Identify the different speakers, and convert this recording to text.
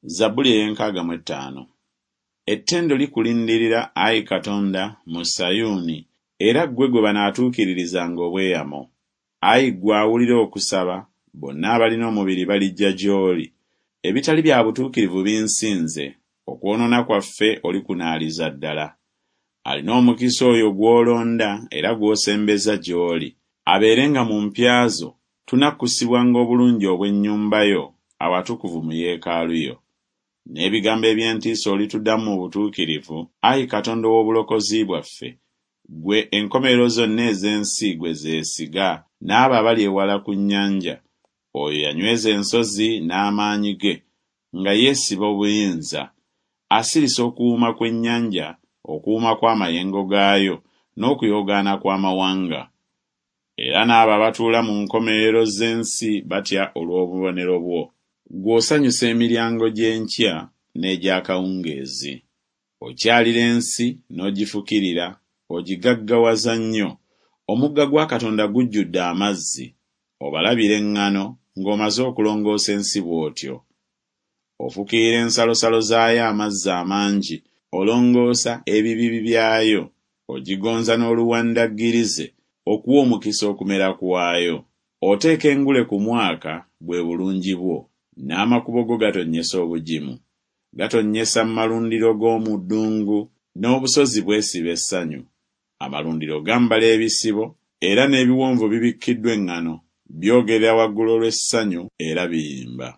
Speaker 1: Zabbuli ey'enkaaga mu ettaano. Ettendo likulindirira, ayi Katonda, mu Sayuuni, era ggwe gwe banaatuukiririzanga obweyamo. Ayi ggwe awulira okusaba, bonna abalina omubiri balijja gy'oli. Ebitali bya butuukirivu binsinze, okwonoona kwaffe olikunaaliza ddala. Alina omukisa oyo gw'olonda era gw'osembeza gy'oli, abeerenga mu mpya zo, tunakkusibwanga obulungi obw'ennyumba yo, awatukuvu mu yeekaalu yo. N'ebigambo eby'entiisa olituddamu mu butuukirivu, ayi Katonda ow'obulokozi bwaffe, ggwe enkomerero zonna ez'ensi gwe zeesiga, n'abo abali ewala ku nnyanja. Oyo yanyweza ensozi n'amaanyi ge, nga yeesiba obuyinza. Asirisa okuwuuma kw'ennyanja, okuwuuma kw'amayengo gaayo, n'okuyoogaana kw'amawanga. Era n'abo abatuula mu nkomerero z'ensi batya olw'obubonero bwo. Ggwe osanyusa emiryango gy'enkya n'egy'akawungeezi. Okyalira ensi n'ogifukirira, ogigaggawaza nnyo. Omugga gwa Katonda gujjudde amazzi, obalabira eŋŋano ng'omaze okulongoosa ensi bw'otyo. Ofukirira ensalosalo zaayo amazzi amangi, olongoosa ebibibi byayo, ogigonza n'oluwandaggirize okuwa omukisa okumera kwayo. Oteeka engule ku mwaka, bwe bulungi bwo, n'amakubo go gatonnyesa obugimu. Gatonnyesa mu malundiro g'omu ddungu, n'obusozi bwesiba essanyu. Amalundiro gambala ebisibo, era n'ebiwonvu bibikkiddwa eŋŋano, byogerera waggulu olw'essanyu era biyimba.